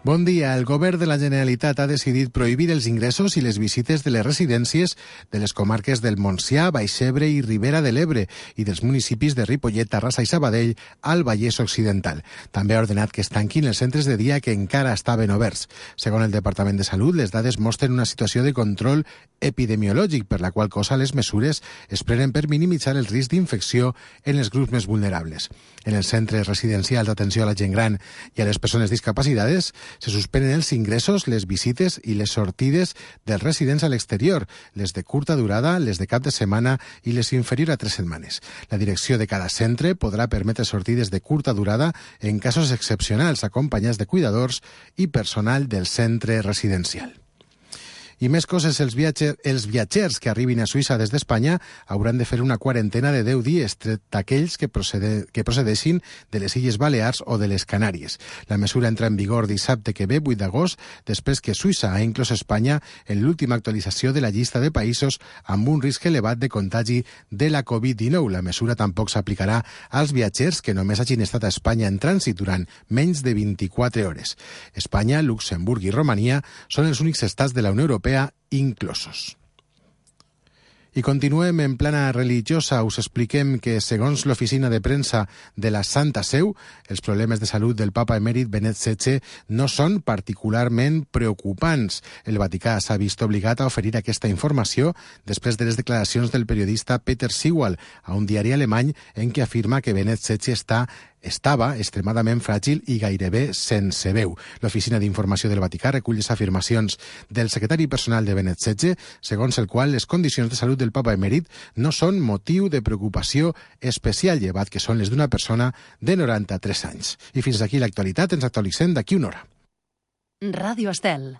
Bon dia. El govern de la Generalitat ha decidit prohibir els ingressos i les visites de les residències de les comarques del Montsià, Baix Ebre i Ribera de l'Ebre i dels municipis de Ripollet, Terrassa i Sabadell al Vallès Occidental. També ha ordenat que es tanquin els centres de dia que encara estaven oberts. Segons el Departament de Salut, les dades mostren una situació de control epidemiològic, per la qual cosa les mesures es prenen per minimitzar el risc d'infecció en els grups més vulnerables. En els centres residencials d'atenció a la gent gran i a les persones discapacitades se suspenen els ingressos, les visites i les sortides dels residents a l'exterior, les de curta durada, les de cap de setmana i les inferior a 3 setmanes. La direcció de cada centre podrà permetre sortides de curta durada en casos excepcionals, acompanyats de cuidadors i personal del centre residencial. I més coses, els viatgers que arribin a Suïssa des d'Espanya hauran de fer una quarantena de 10 dies, tret d'aquells que procedeixin de les Illes Balears o de les Canàries. La mesura entra en vigor dissabte que ve, 8 d'agost, després que Suïssa ha inclòs Espanya en l'última actualització de la llista de països amb un risc elevat de contagi de la Covid-19. La mesura tampoc s'aplicarà als viatgers que només hagin estat a Espanya en trànsit durant menys de 24 hores. Espanya, Luxemburg i Romania són els únics estats de la Unió Europea inclosos. I continuem en plana religiosa. Us expliquem que, segons l'oficina de premsa de la Santa Seu, els problemes de salut del papa emèrit Benet XVI no són particularment preocupants. El Vaticà s'ha vist obligat a oferir aquesta informació després de les declaracions del periodista Peter Sewell a un diari alemany en què afirma que Benet XVI estava extremadament fràgil i gairebé sense veu. L'Oficina d'Informació del Vaticà recull les afirmacions del secretari personal de Benet XVI, segons el qual les condicions de salut del papa emèrit no són motiu de preocupació especial, llevat que són les d'una persona de 93 anys. I fins aquí l'actualitat. Ens actualitzem d'aquí una hora. Ràdio Estel.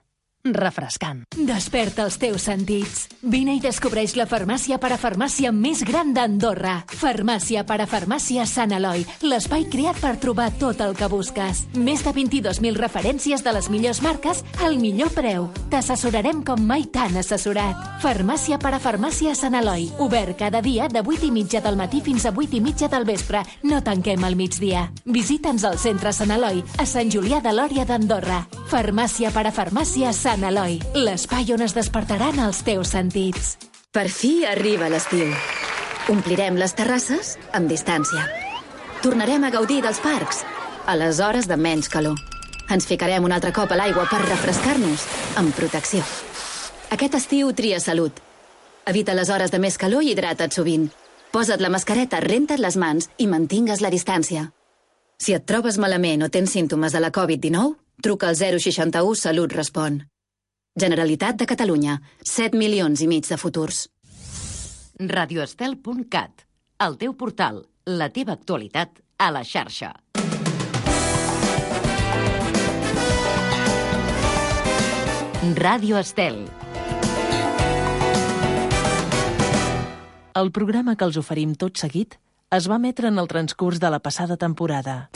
Refrescant. Desperta els teus sentits. Vine i descobreix la farmàcia parafarmàcia més gran d'Andorra. Farmàcia parafarmàcia Sant Eloi, l'espai creat per trobar tot el que busques. Més de 22.000 referències de les millors marques al millor preu. T'assessorarem com mai t'han assessorat. Farmàcia parafarmàcia Sant Eloi. Obert cada dia de 8:30 del matí fins a 8:30 del vespre. No tanquem al migdia. Visita'ns al centre Sant Eloi, a Sant Julià de Lòria d'Andorra. Farmàcia parafarmàcia Sant Eloi, l'espai on es despertaran els teus sentits. Per fi arriba l'estiu. Omplirem les terrasses amb distància. Tornarem a gaudir dels parcs a les hores de menys calor. Ens ficarem un altre cop a l'aigua per refrescar-nos amb protecció. Aquest estiu tria salut. Evita les hores de més calor i hidrata't sovint. Posa't la mascareta, renta't les mans i mantingues la distància. Si et trobes malament o tens símptomes de la Covid-19, truca al 061 Salut Respon. Generalitat de Catalunya, 7,5 milions de futurs. radioestel.cat, el teu portal, la teva actualitat a la xarxa. Ràdio Estel. El programa que els oferim tot seguit es va emetre en el transcurs de la passada temporada.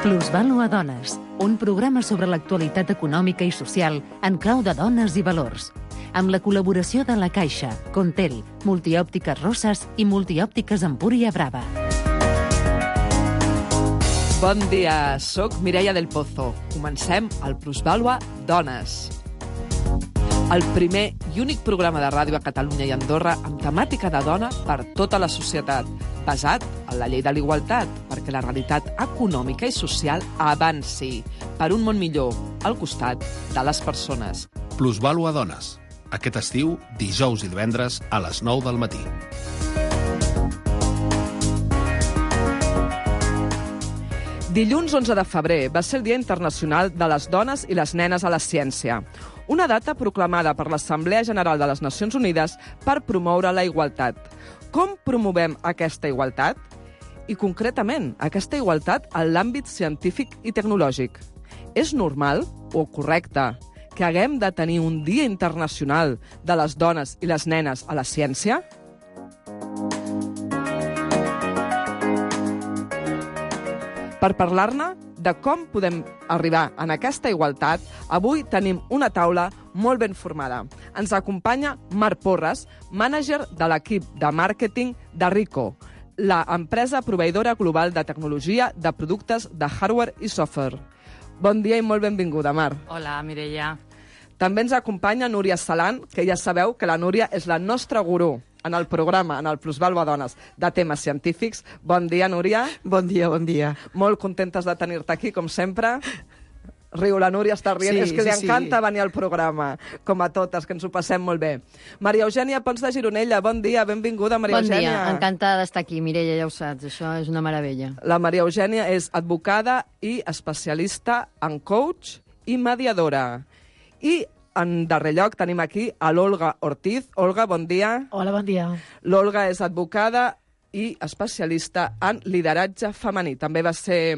Plusvàlua Dones, un programa sobre l'actualitat econòmica i social en clau de dones i valors, amb la col·laboració de La Caixa, Contel, Multiòptiques Rosses i Multiòptiques Empúria Brava. Bon dia, soc Mireia del Pozo. Comencem el Plusvàlua Dones. El primer i únic programa de ràdio a Catalunya i Andorra amb temàtica de dona per tota la societat, basat en la llei de l'igualtat, perquè la realitat econòmica i social avanci per un món millor, al costat de les persones. Plusvàlua Dones. Aquest estiu, dijous i divendres a les 9 del matí. Dilluns 11 de febrer va ser el Dia Internacional de les Dones i les Nenes a la Ciència, una data proclamada per l'Assemblea General de les Nacions Unides per promoure la igualtat. Com promovem aquesta igualtat? I concretament, aquesta igualtat en l'àmbit científic i tecnològic. És normal o correcte que haguem de tenir un Dia Internacional de les Dones i les Nenes a la Ciència? Per parlar-ne de com podem arribar en aquesta igualtat, avui tenim una taula molt ben formada. Ens acompanya Marc Porres, mànager de l'equip de màrqueting de Rico, la empresa proveïdora global de tecnologia de productes de hardware i software. Bon dia i molt benvinguda, Mar. Hola, Mireia. També ens acompanya Núria Salant, que ja sabeu que la Núria és la nostra gurú en el programa, en el Plusvàlua Dones, de temes científics. Bon dia, Núria. Bon dia, bon dia. Molt contentes de tenir-te aquí, com sempre. Riu, la Núria està rient. Sí, És que li sí, encanta sí. venir al programa, com a totes, que ens ho passem molt bé. Maria Eugènia Pons de Gironella, bon dia, benvinguda, Maria Eugènia. Bon dia, encantada d'estar aquí, Mireia, ja ho saps, això és una meravella. La Maria Eugènia és advocada i especialista en coach i mediadora. I en darrer lloc tenim aquí a l'Olga Ortiz. Olga, bon dia. Hola, bon dia. L'Olga és advocada i especialista en lideratge femení. També va ser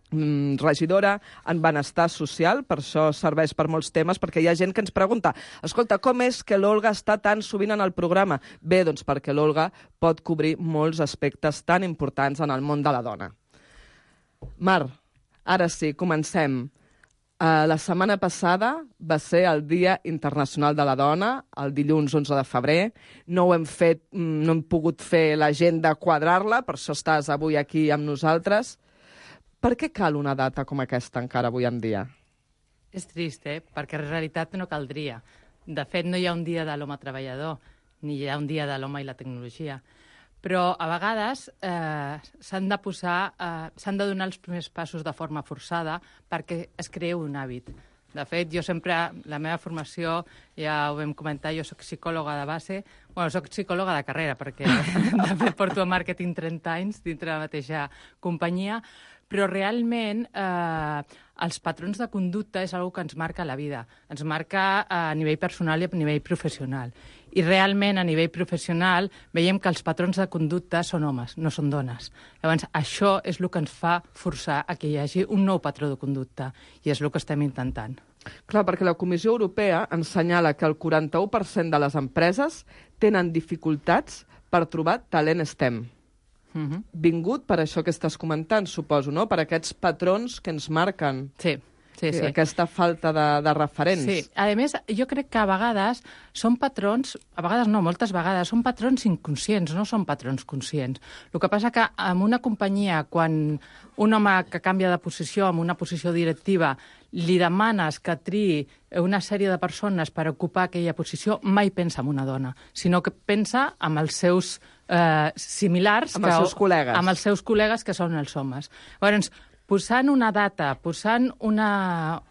regidora en benestar social, per això serveix per molts temes, perquè hi ha gent que ens pregunta, escolta, com és que l'Olga està tan sovint en el programa? Bé, doncs perquè l'Olga pot cobrir molts aspectes tan importants en el món de la dona. Mar, ara sí, comencem. La setmana passada va ser el Dia Internacional de la Dona, el dilluns 11 de febrer. No hem pogut fer l'agenda, quadrar-la, per això estàs avui aquí amb nosaltres. Per què cal una data com aquesta encara avui en dia? És trist, perquè en realitat no caldria. De fet, no hi ha un dia de l'home treballador, ni hi ha un dia de l'home i la tecnologia. Però a vegades s'han de donar els primers passos de forma forçada perquè es creï un hàbit. De fet, jo sempre, la meva formació, ja ho vam comentar, jo soc psicòloga de base, soc psicòloga de carrera, perquè de fet porto a màrqueting 30 anys dintre la mateixa companyia, però realment els patrons de conducta és una que ens marca la vida. Ens marca a nivell personal i a nivell professional. I realment, a nivell professional, veiem que els patrons de conducta són homes, no són dones. Llavors, això és el que ens fa forçar a que hi hagi un nou patró de conducta, i és el que estem intentant. Clar, perquè la Comissió Europea ens senyala que el 41% de les empreses tenen dificultats per trobar talent STEM. Vingut per això que estàs comentant, suposo, no? Per aquests patrons que ens marquen. Sí. Aquesta falta de referents. Sí, a més, jo crec que a vegades són patrons, a vegades no, moltes vegades, són patrons inconscients, no són patrons conscients. El que passa que en una companyia, quan un home que canvia de posició en una posició directiva li demanes que triï una sèrie de persones per ocupar aquella posició, mai pensa en una dona, sinó que pensa en els seus similars... Amb els seus col·legues. Amb els seus col·legues, que són els homes. Llavors, posant una data, posant una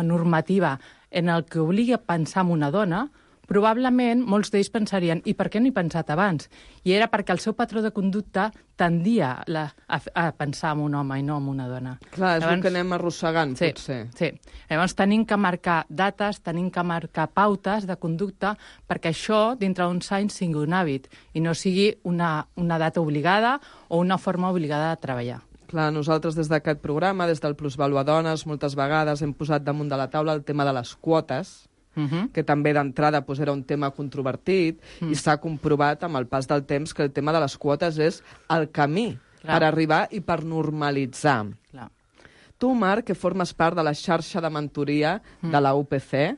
normativa en el que obligui a pensar en una dona, probablement molts d'ells pensarien i per què no he pensat abans? I era perquè el seu patró de conducta tendia a pensar en un home i no en una dona. Clar, és el que anem arrossegant, potser. Sí. Llavors tenim que marcar dates, tenim que marcar pautes de conducta perquè això, dintre d'uns anys, sigui un hàbit i no sigui una data obligada o una forma obligada de treballar. Clar, nosaltres des d'aquest programa, des del Plusvàlua Dones, moltes vegades hem posat damunt de la taula el tema de les quotes, que també d'entrada era un tema controvertit, i s'ha comprovat amb el pas del temps que el tema de les quotes és el camí per arribar i per normalitzar. Clar. Tu, Marc, que formes part de la xarxa de mentoria de la UPC,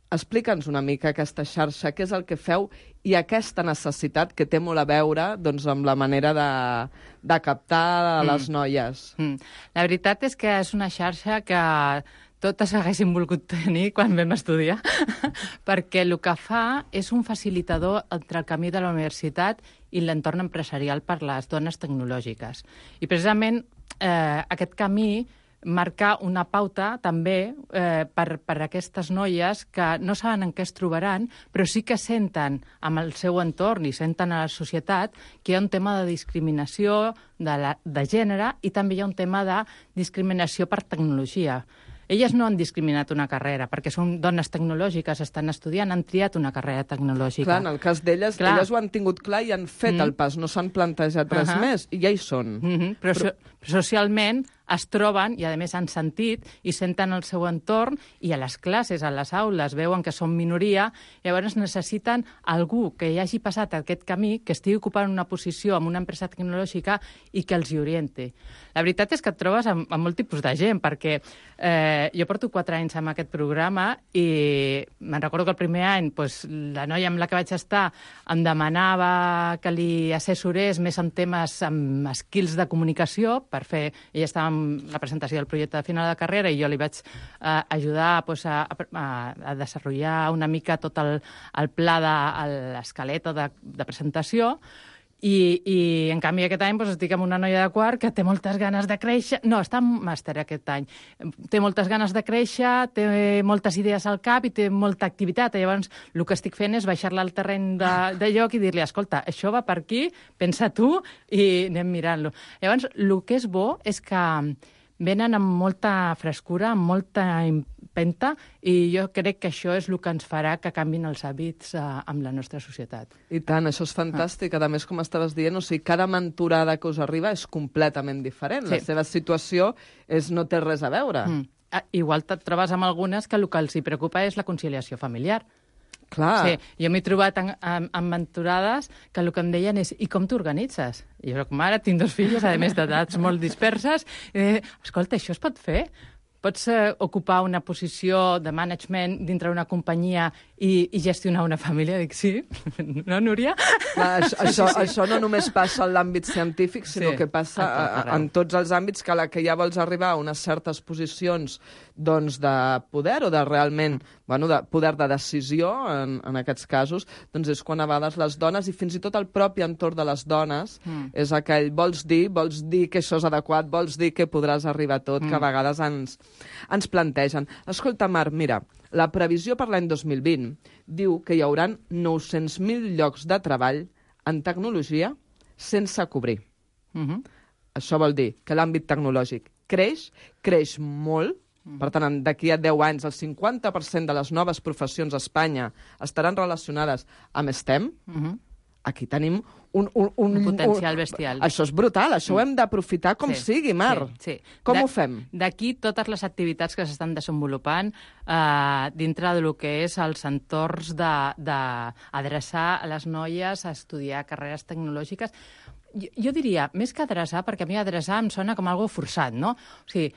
explica'ns una mica aquesta xarxa, què és el que feu i aquesta necessitat que té molt a veure amb la manera de captar les noies. La veritat és que és una xarxa que totes haguéssim volgut tenir quan vam estudiar, perquè el que fa és un facilitador entre el camí de la universitat i l'entorn empresarial per les dones tecnològiques. I precisament aquest camí marcar una pauta també per aquestes noies que no saben en què es trobaran, però sí que senten amb el seu entorn i senten a la societat que hi ha un tema de discriminació de gènere i també hi ha un tema de discriminació per tecnologia. Elles no han discriminat una carrera, perquè són dones tecnològiques, estan estudiant, han triat una carrera tecnològica. Clar, en el cas d'elles, elles ho han tingut clar i han fet el pas, no s'han plantejat res més, i ja hi són. Però socialment es troben i, a més, han sentit i senten el seu entorn i a les classes, a les aules, veuen que són minoria, llavors necessiten algú que hi hagi passat aquest camí, que estigui ocupant una posició en una empresa tecnològica i que els hi orienti. La veritat és que et trobes amb molt tipus de gent, perquè jo porto 4 anys amb aquest programa i me'n recordo que el primer any la noia amb la que vaig estar em demanava que li assessorés més en temes, amb skills de comunicació, per fer... Ella estava en la presentació del projecte de final de carrera i jo li vaig ajudar a desenvolupar una mica tot el pla de l'esquelet de presentació. I en canvi aquest any estic amb una noia de quart que té moltes ganes de créixer, no, està en màster aquest any, té moltes ganes de créixer, té moltes idees al cap i té molta activitat. Llavors el que estic fent és baixar-la al terreny de lloc i dir-li, escolta, això va per aquí, pensa tu i anem mirant-lo. Llavors el que és bo és que venen amb molta frescura, amb molta empenta, i jo crec que això és el que ens farà que canvin els hàbits amb la nostra societat. I tant, això és fantàstic. A més, com estaves dient, cada mentorada que us arriba és completament diferent. Sí. La seva situació no té res a veure. Igual et trobes amb algunes que el que els hi preocupa és la conciliació familiar. Clar. Sí, jo m'he trobat amb mentorades que el que em deien és i com t'organitzes? Jo soc mare, tinc 2 filles, a més d'edats molt disperses, i escolta, això es pot fer? Pots ocupar una posició de management dintre una companyia i gestionar una família? Dic, sí. No, Núria? Clar, això no només passa en l'àmbit científic, sinó que passa en tots els àmbits, que a la que ja vols arribar a unes certes posicions de poder o de realment de poder de decisió, en aquests casos, doncs és quan a vegades les dones, i fins i tot el propi entorn de les dones, és aquell, vols dir que això és adequat, vols dir que podràs arribar a tot, que a vegades ens plantegen. Escolta, Mar, mira, la previsió per l'any 2020 diu que hi haurà 900.000 llocs de treball en tecnologia sense cobrir. Això vol dir que l'àmbit tecnològic creix molt. Per tant, d'aquí a 10 anys, el 50% de les noves professions a Espanya estaran relacionades amb STEM. Aquí tenim un potencial bestial. Això és brutal, això ho hem d'aprofitar com sigui, Mar. Sí. Com ho fem? D'aquí totes les activitats que s'estan desenvolupant dintre del que és els entorns d'adreçar a les noies a estudiar carreres tecnològiques. Jo diria, més que adreçar, perquè a mi adreçar em sona com algo forçat, no? O sigui,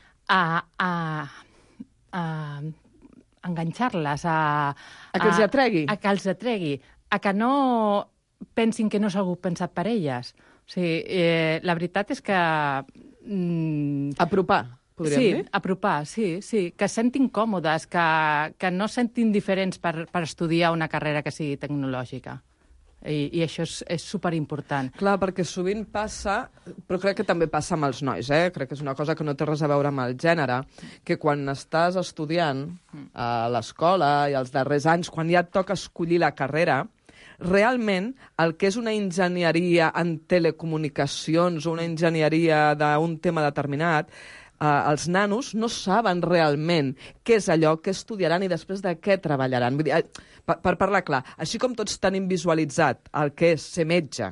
enganxar-les, a que els atregui. A que els atregui, a que no pensin que no és algú pensat per elles. O sigui, la veritat és que... Apropar, podríem dir? Sí, apropar, sí. Que es sentin còmodes, que no es sentin diferents per estudiar una carrera que sigui tecnològica. I això és superimportant. Clar, perquè sovint passa, però crec que també passa amb els nois, crec que és una cosa que no té res a veure amb el gènere, que quan estàs estudiant a l'escola i als darrers anys, quan ja et toca escollir la carrera, realment el que és una enginyeria en telecomunicacions o una enginyeria d'un tema determinat, els nanos no saben realment què és allò que estudiaran i després de què treballaran. Vull dir, per parlar clar, així com tots tenim visualitzat el que és ser metge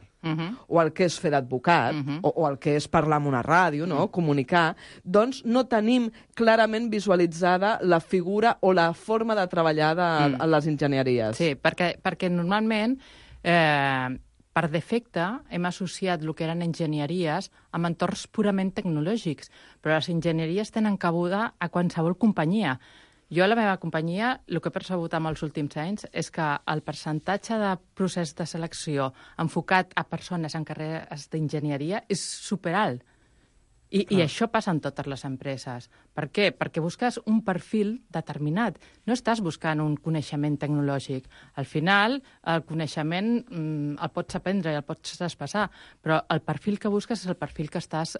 o el que és fer d'advocat o el que és parlar en una ràdio, no? Comunicar, doncs no tenim clarament visualitzada la figura o la forma de treballar a les enginyeries. Sí, perquè normalment... per defecte, hem associat el que eren enginyeries amb entorns purament tecnològics, però les enginyeries tenen cabuda a qualsevol companyia. Jo a la meva companyia, el que he percebut en els últims anys és que el percentatge de procés de selecció enfocat a persones en carreres d'enginyeria és superalt. I això passa en totes les empreses. Per què? Perquè busques un perfil determinat. No estàs buscant un coneixement tecnològic. Al final, el coneixement el pots aprendre i el pots traspassar, però el perfil que busques és el perfil que estàs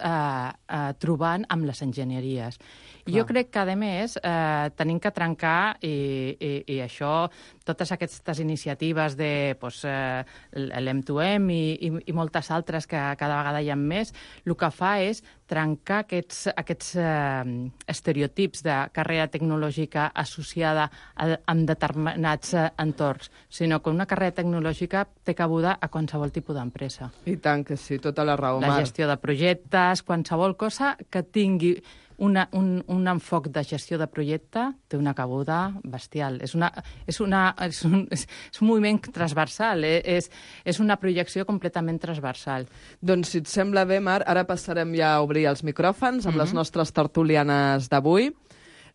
trobant amb les enginyeries. Jo crec que, a més, tenim que trencar, i això, totes aquestes iniciatives de l'M2M i moltes altres que cada vegada hi ha més, el que fa és trencar aquests estereotips de carrera tecnològica associada amb determinats entorns, sinó que una carrera tecnològica té cabuda a qualsevol tipus d'empresa. I tant que sí, tota la raó, La Mar. gestió de projectes, qualsevol cosa que tingui un enfoc de gestió de projecte té una cabuda bestial. És un moviment transversal, és una projecció completament transversal. Doncs, si et sembla bé, Mar, ara passarem ja a obrir els micròfons amb les nostres tertulianes d'avui.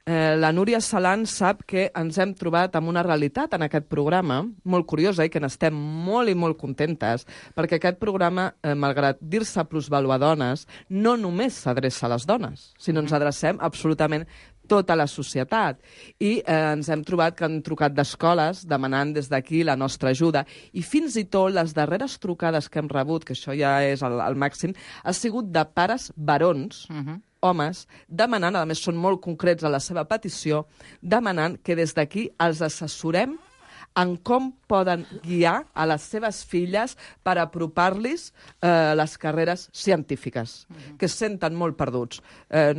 La Núria Salan sap que ens hem trobat amb una realitat en aquest programa molt curiosa i que n'estem molt i molt contentes, perquè aquest programa, malgrat dir-se plusvalua dones, no només s'adreça a les dones, sinó ens adrecem absolutament tota la societat. I ens hem trobat que han trucat d'escoles demanant des d'aquí la nostra ajuda. I fins i tot les darreres trucades que hem rebut, que això ja és el màxim, ha sigut de pares barons, homes, demanant, a més són molt concrets a la seva petició, demanant que des d'aquí els assessorem en com poden guiar a les seves filles per apropar-los les carreres científiques, que es senten molt perduts.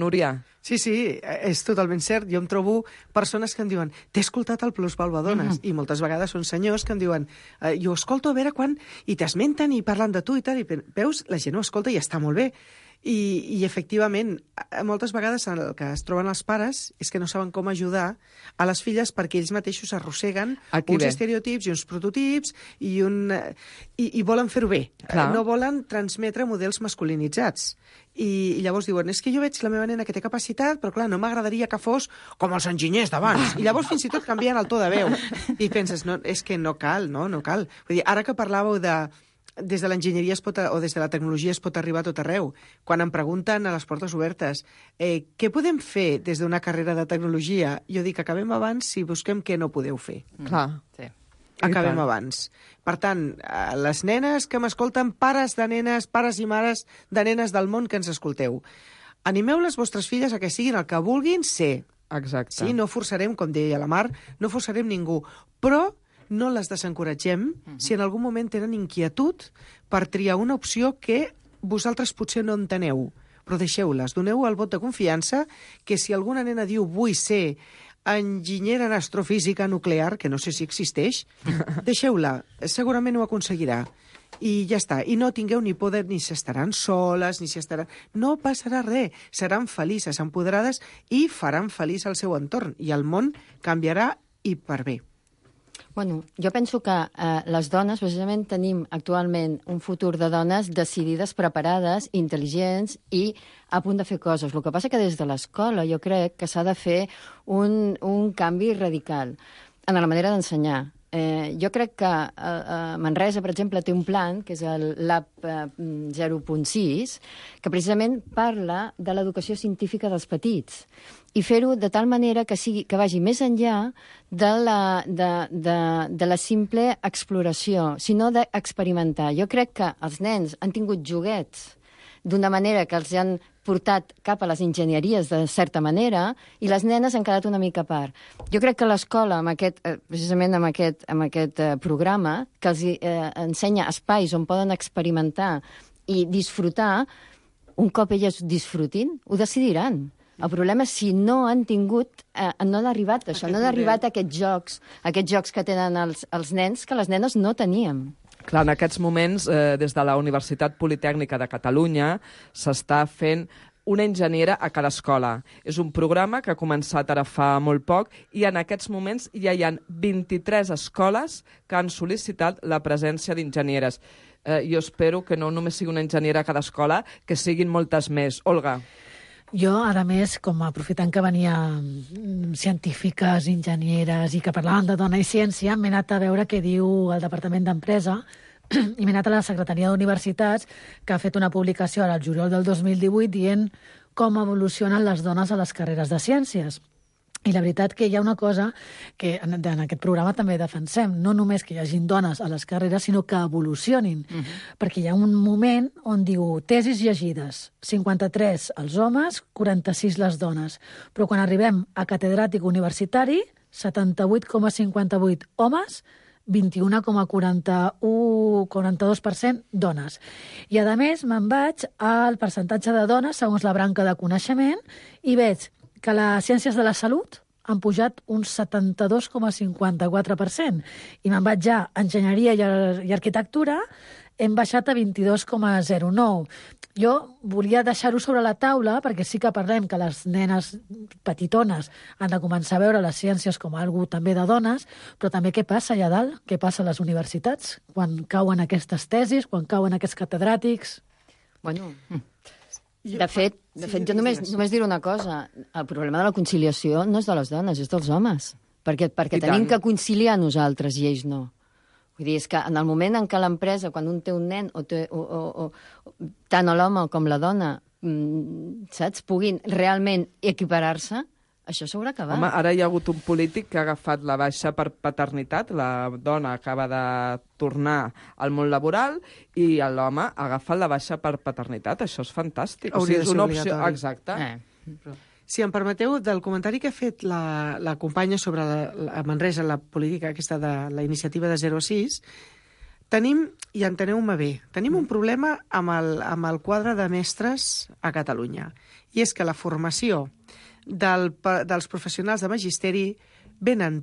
Núria? Sí, és totalment cert. Jo em trobo persones que em diuen t'he escoltat el Plusvalua Dones, i moltes vegades són senyors que em diuen jo escolto a veure quan, i t'esmenten i parlen de tu i tal, i veus, la gent ho escolta i està molt bé. I efectivament, moltes vegades el que es troben els pares és que no saben com ajudar a les filles perquè ells mateixos arrosseguen uns estereotips i uns prototips i volen fer-ho bé. No volen transmetre models masculinitzats. I llavors diuen, és que jo veig la meva nena que té capacitat, però clar, no m'agradaria que fos com els enginyers d'abans. I llavors fins i tot canvien el to de veu. I penses, no, és que no cal. Vull dir, ara que parlàveu des de l'enginyeria o des de la tecnologia es pot arribar a tot arreu. Quan em pregunten a les portes obertes què podem fer des d'una carrera de tecnologia, jo dic, acabem abans si busquem què no podeu fer. Clar. Sí. Acabem abans. Per tant, les nenes que m'escolten, pares de nenes, pares i mares de nenes del món que ens escolteu, animeu les vostres filles a que siguin el que vulguin ser. Exacte. Sí, no forçarem, com deia la Mar, no forçarem ningú, però no les desencoratgem si en algun moment tenen inquietud per triar una opció que vosaltres potser no enteneu. Però deixeu-les, doneu el vot de confiança que si alguna nena diu vull ser enginyera en astrofísica nuclear, que no sé si existeix, deixeu-la, segurament ho aconseguirà. I ja està. I no tingueu ni por ni s'estaran soles, ni s'estaran... No passarà res. Seran felices, empoderades i faran feliç el seu entorn. I el món canviarà i per bé. Bueno, jo penso que les dones, precisament, tenim actualment un futur de dones decidides, preparades, intel·ligents i a punt de fer coses. El que passa que des de l'escola jo crec que s'ha de fer un canvi radical en la manera d'ensenyar. Jo crec que Manresa, per exemple, té un plan, que és el Lab 0.6, que precisament parla de l'educació científica dels petits i fer-ho de tal manera que vagi més enllà de la simple exploració, sinó d'experimentar. Jo crec que els nens han tingut joguets d'una manera que els han portat cap a les enginyeries de certa manera i les nenes han quedat una mica a part. Jo crec que l'escola, precisament amb aquest programa, que els ensenya espais on poden experimentar i disfrutar, un cop elles disfrutin, ho decidiran. El problema és si no han tingut, no han arribat a això, no han arribat a aquests jocs que tenen els nens que les nenes no teníem. Clar, en aquests moments, des de la Universitat Politècnica de Catalunya, s'està fent una enginyera a cada escola. És un programa que ha començat ara fa molt poc i en aquests moments ja hi ha 23 escoles que han sol·licitat la presència d'enginyeres. Jo espero que no només sigui una enginyera a cada escola, que siguin moltes més. Olga. Jo, a més, com aprofitant que venia científiques, enginyeres i que parlaven de dona i ciència, m'he anat a veure què diu el Departament d'Empresa i m'he anat a la Secretaria d'Universitats, que ha fet una publicació ara al juliol del 2018 dient com evolucionen les dones a les carreres de ciències. I la veritat que hi ha una cosa que en aquest programa també defensem, no només que hi hagin dones a les carreres, sinó que evolucionin. Perquè hi ha un moment on diu tesis llegides, 53 els homes, 46 les dones. Però quan arribem a catedràtic universitari, 78,58 homes 21,42% dones. I, a més, me'n vaig al percentatge de dones segons la branca de coneixement i veig que les ciències de la salut han pujat un 72,54%. I me'n vaig ja a enginyeria i arquitectura, hem baixat a 22,09%. Jo volia deixar-ho sobre la taula perquè sí que parlem que les nenes petitones han de començar a veure les ciències com algú també de dones, però també què passa allà dalt? Què passa a les universitats? Quan cauen aquestes tesis, quan cauen aquests catedràtics? Bueno, de fet, jo només diré una cosa. El problema de la conciliació no és de les dones, és dels homes. Perquè tenim que conciliar nosaltres i ells no. Vull dir, és que en el moment en què l'empresa, quan un té un nen, tant l'home com la dona, saps, puguin realment equiparar-se, això s'haurà acabat. Home, ara hi ha hagut un polític que ha agafat la baixa per paternitat, la dona acaba de tornar al món laboral i l'home ha agafat la baixa per paternitat. Això és fantàstic. Hauria de ser obligatori. Exacte. Si em permeteu, del comentari que ha fet la companya sobre a Manresa, la política aquesta de la iniciativa de 0 a 6, tenim, i enteneu-me bé, tenim un problema amb el quadre de mestres a Catalunya. I és que la formació dels professionals de magisteri venen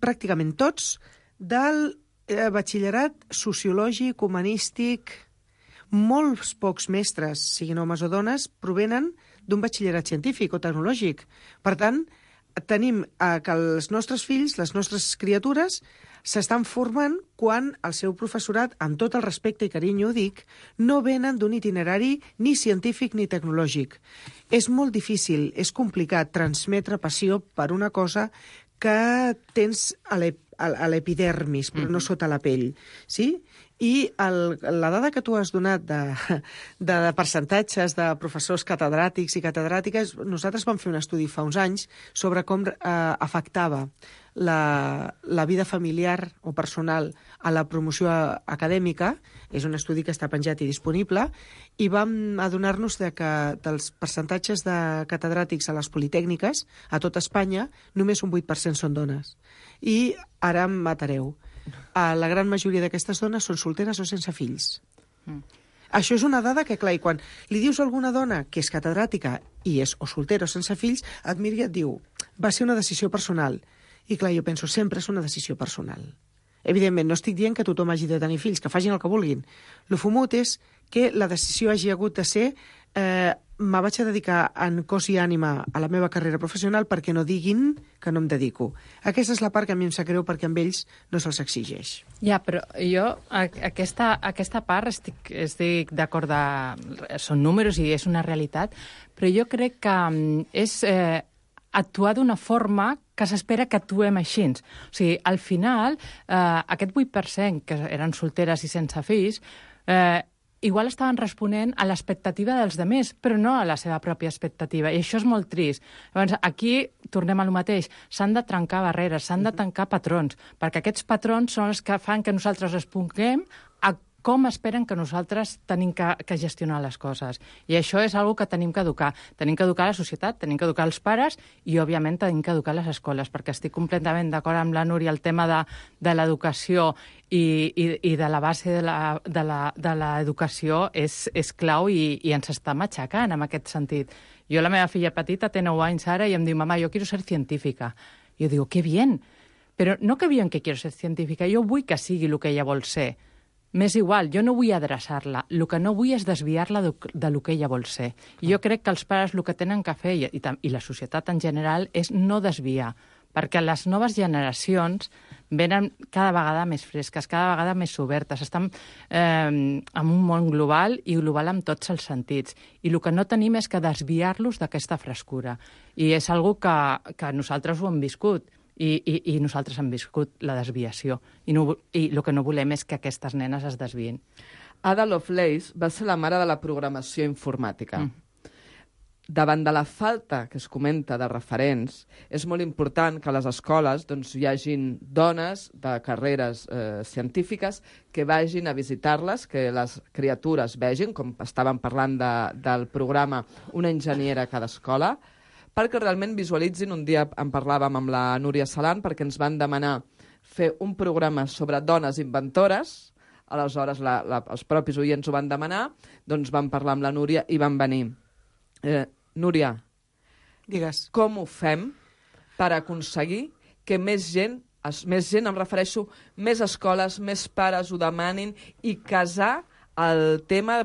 pràcticament tots del batxillerat sociològic, humanístic. Molts pocs mestres, siguin homes o dones, provenen d'un batxillerat científic o tecnològic. Per tant, tenim que els nostres fills, les nostres criatures, s'estan formant quan el seu professorat, amb tot el respecte i carinyo ho dic, no venen d'un itinerari ni científic ni tecnològic. És molt difícil, és complicat transmetre passió per una cosa que tens a l'epidermis, però no sota la pell. Sí? I la dada que tu has donat de percentatges de professors catedràtics i catedràtiques, nosaltres vam fer un estudi fa uns anys sobre com afectava la vida familiar o personal a la promoció acadèmica. És un estudi que està penjat i disponible, i vam adonar-nos que dels percentatges de catedràtics a les politècniques, a tot Espanya, només un 8% són dones. I ara em matareu. La gran majoria d'aquestes dones són solteres o sense fills. Això és una dada que, clar, i quan li dius a alguna dona que és catedràtica i és o soltera o sense fills, et mira i et diu, va ser una decisió personal. I clar, jo penso, sempre és una decisió personal. Evidentment, no estic dient que tothom hagi de tenir fills, que facin el que vulguin. Lo fumut és que la decisió hagi hagut de ser me vaig a dedicar en cos i ànima a la meva carrera professional perquè no diguin que no em dedico. Aquesta és la part que a mi em sap greu perquè amb ells no se'ls exigeix. Ja, però jo aquesta part estic d'acord, són números i és una realitat, però jo crec que és actuar d'una forma que s'espera que actuem així. O sigui, al final, aquest 8% que eren solteres i sense fills, igual estaven responent a l'expectativa dels demés, però no a la seva pròpia expectativa, i això és molt trist. Llavors, aquí tornem a lo mateix. S'han de trencar barreres, s'han de tancar patrons, perquè aquests patrons són els que fan que nosaltres responguem a com esperen que nosaltres tenim que gestionar les coses. I això és una que tenim que educar. Tenim que educar la societat, tenim que educar els pares i, òbviament, tenim que educar les escoles, perquè estic completament d'acord amb la Núria, el tema de l'educació i de la base de l'educació és clau i ens està matxacant en aquest sentit. Jo, la meva filla petita té 9 anys ara i em diu, mamà, yo quiero ser científica. I jo digo, qué bien, però no que bien que quiero ser científica, jo vull que sigui el que ella vol ser. M'és igual, jo no vull adreçar-la. El que no vull és desviar-la del que ella vol ser. I jo crec que els pares el que tenen que fer, i la societat en general, és no desviar, perquè les noves generacions venen cada vegada més fresques, cada vegada més obertes, estan en un món global i global en tots els sentits. I el que no tenim és que desviar-los d'aquesta frescura. I és una que nosaltres ho hem viscut. I nosaltres hem viscut la desviació. I el que no volem és que aquestes nenes es desvien. Ada Lovelace va ser la mare de la programació informàtica. Davant de la falta que es comenta de referents, és molt important que a les escoles hi hagin dones de carreres científiques que vagin a visitar-les, que les criatures vegin, com estàvem parlant del programa Una enginyera a cada escola, perquè realment visualitzin. Un dia en parlàvem amb la Núria Salant perquè ens van demanar fer un programa sobre dones inventores. Aleshores, els propis oients ho van demanar, doncs vam parlar amb la Núria i van venir. Núria, Digues. Com ho fem per aconseguir que més gent, em refereixo, més escoles, més pares ho demanin i casar el tema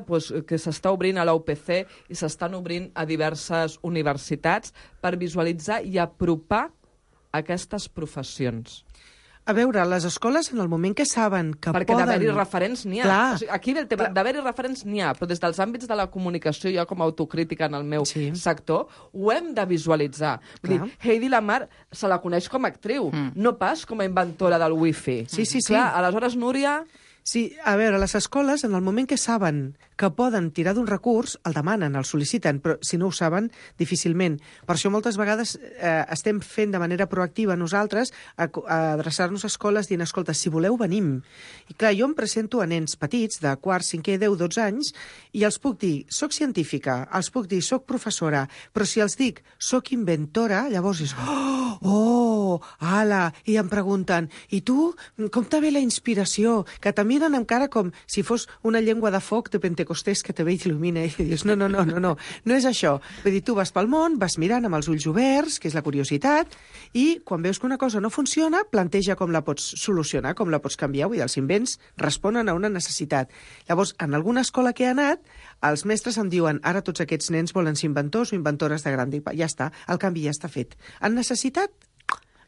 que s'està obrint a la UPC i s'estan obrint a diverses universitats per visualitzar i apropar aquestes professions? A veure, les escoles, en el moment que saben que perquè poden... d'haver-hi referents n'hi ha. Clar. O sigui, aquí ve el tema, d'haver-hi referents n'hi ha, però des dels àmbits de la comunicació, jo com a autocrítica en el meu sector, ho hem de visualitzar. Vull dir, Heidi Lamar se la coneix com a actriu, no pas com a inventora del wifi. Sí. Clar, aleshores, Núria... Sí, a veure, les escoles, en el moment que saben que poden tirar d'un recurs, el demanen, el sol·liciten, però si no ho saben, difícilment. Per això moltes vegades estem fent de manera proactiva nosaltres a adreçar-nos a escoles dient, escolta, si voleu, venim. I clar, jo em presento a nens petits de quart, cinquè, 10, 12 anys i els puc dir, soc científica, els puc dir, soc professora, però si els dic, soc inventora, llavors és, ala, i em pregunten, i tu, com te ve la inspiració? Que també miren encara com si fos una llengua de foc de Pentecostés que te ve i t'il·lumina i dius, no és això. Vull dir, tu vas pel món, vas mirant amb els ulls oberts, que és la curiositat, i quan veus que una cosa no funciona, planteja com la pots solucionar, com la pots canviar. Vull dir, els invents responen a una necessitat. Llavors, en alguna escola que he anat, els mestres em diuen, ara tots aquests nens volen ser inventors o inventores de gran... Ja està, el canvi ja està fet. Han necessitat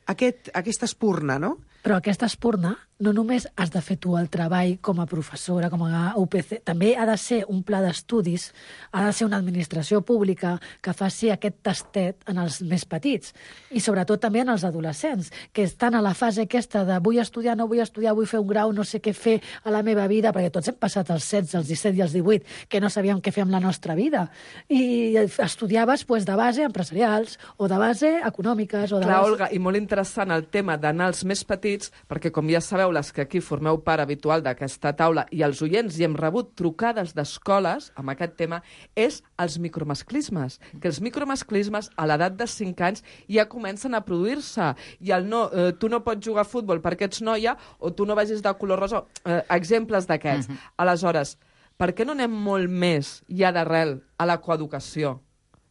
aquesta espurna, no? Però aquesta espurna no només has de fer tu el treball com a professora, com a UPC, també ha de ser un pla d'estudis, ha de ser una administració pública que faci aquest tastet en els més petits i sobretot també en els adolescents, que estan a la fase aquesta de vull estudiar, no vull estudiar, vull fer un grau, no sé què fer a la meva vida, perquè tots hem passat els 16, els 17 i els 18, que no sabíem què fer amb la nostra vida. I estudiaves de base empresarials o de base econòmiques. O de Clar, base... Olga, i molt interessant el tema d'anar als més petits, perquè com ja sabeu, les que aquí formeu part habitual d'aquesta taula i els oients i hem rebut trucades d'escoles amb aquest tema, és els micromasclismes. Que els micromasclismes a l'edat de 5 anys ja comencen a produir-se. I el no, tu no pots jugar a futbol perquè ets noia o tu no vagis de color rosa. Exemples d'aquests. Aleshores, per què no anem molt més ja d'arrel a la coeducació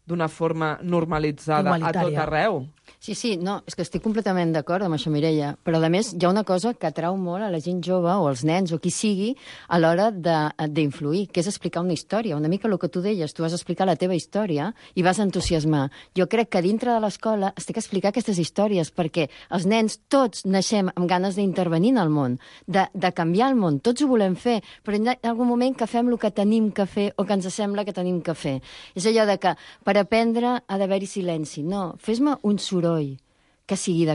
d'una forma normalitzada a tot arreu? Sí, no, és que estic completament d'acord amb això, Mireia, però a més hi ha una cosa que atrau molt a la gent jove o als nens o qui sigui a l'hora d'influir, que és explicar una història. Una mica el que tu deies, tu vas explicar la teva història i vas entusiasmar. Jo crec que dintre de l'escola es té que explicar aquestes històries perquè els nens tots naixem amb ganes d'intervenir en el món, de canviar el món, tots ho volem fer, però en algun moment que fem el que tenim que fer o que ens sembla que tenim que fer. És allò de que per aprendre ha d'haver-hi silenci. No, fes-me un soroll que sigui de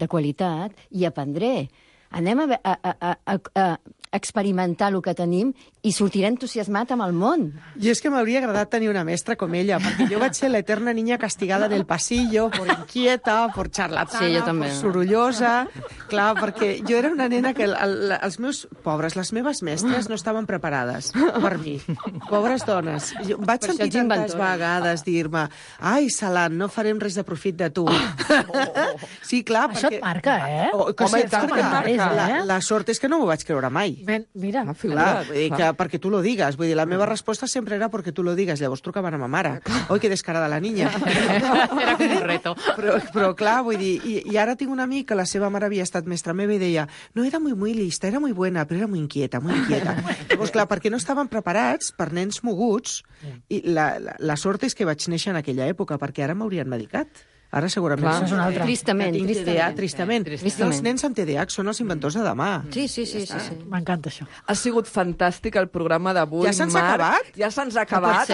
qualitat i aprendré. Anem a experimentar el que tenim i sortiré entusiasmat amb el món. I és que m'hauria agradat tenir una mestra com ella, perquè jo vaig ser l'eterna niña castigada del pasillo, por inquieta, por charlatana, por sorollosa... Clar, perquè jo era una nena que els meus pobres, les meves mestres no estaven preparades per mi. Pobres dones. Jo vaig sentir tantes vegades dir-me ai, Salant, no farem res de profit de tu. Sí, clar, perquè... Això et marca, eh? Home, la sort és que no m'ho vaig creure mai. Mira, clar, perquè tu lo digues. Vull dir, la meva resposta sempre era perquè tu lo digues. Llavors trucaven a ma mare. Oi, que descarada la niña. Era com un reto. Però clar, vull dir, i ara tinc un amic que la seva mare havia estat mestra meva i deia, no era muy lista, era muy buena, però era muy inquieta. Llavors, clar, perquè no estaven preparats per nens moguts, i la sort és que vaig néixer en aquella època, perquè ara m'haurien medicat. Ara segurament... Clar, és una altra. Tristament. Els nens amb TDAH són els inventors de demà. Sí. M'encanta això. Ha sigut fantàstic el programa d'avui, Ja se'ns ha acabat? Ja se'ns ha acabat.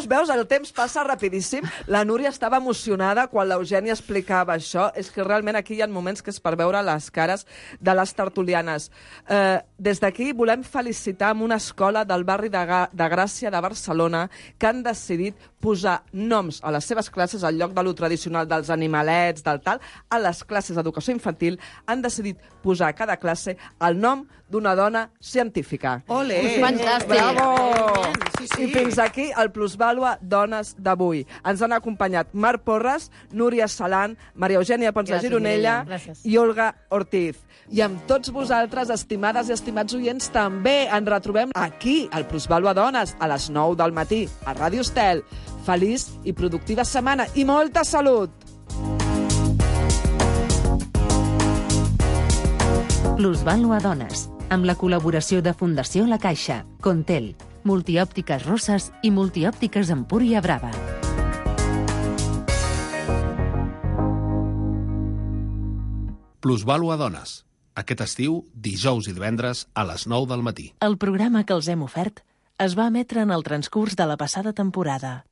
Veus, el temps passa rapidíssim. La Núria estava emocionada quan l'Eugènia explicava això. És que realment aquí hi ha moments que és per veure les cares de les tertulianes. Des d'aquí volem felicitar amb una escola del barri de Gràcia de Barcelona que han decidit posar noms a les seves classes al lloc de lo tradicional del dels animalets, del tal, a les classes d'educació infantil han decidit posar a cada classe el nom d'una dona científica. Ole! Fantàstic! Bravo! Sí, sí. I fins aquí el Plusvàlua Dones d'avui. Ens han acompanyat Marc Porres, Núria Salant, Maria Eugènia Pons de Gràcies, Gironella Mireia. i Olga Ortiz. I amb tots vosaltres, estimades i estimats oients, també ens retrobem aquí, al Plusvàlua Dones, a les 9 del matí, a Ràdio Estel. Feliç i productiva setmana i molta salut! Plusvàlua Dones, amb la col·laboració de Fundació La Caixa, Contel, Multiòptiques Roses i Multiòptiques Empúria Brava. Plusvàlua Dones. Aquest estiu, dijous i divendres a les 9 del matí. El programa que els hem ofert es va emetre en el transcurs de la passada temporada.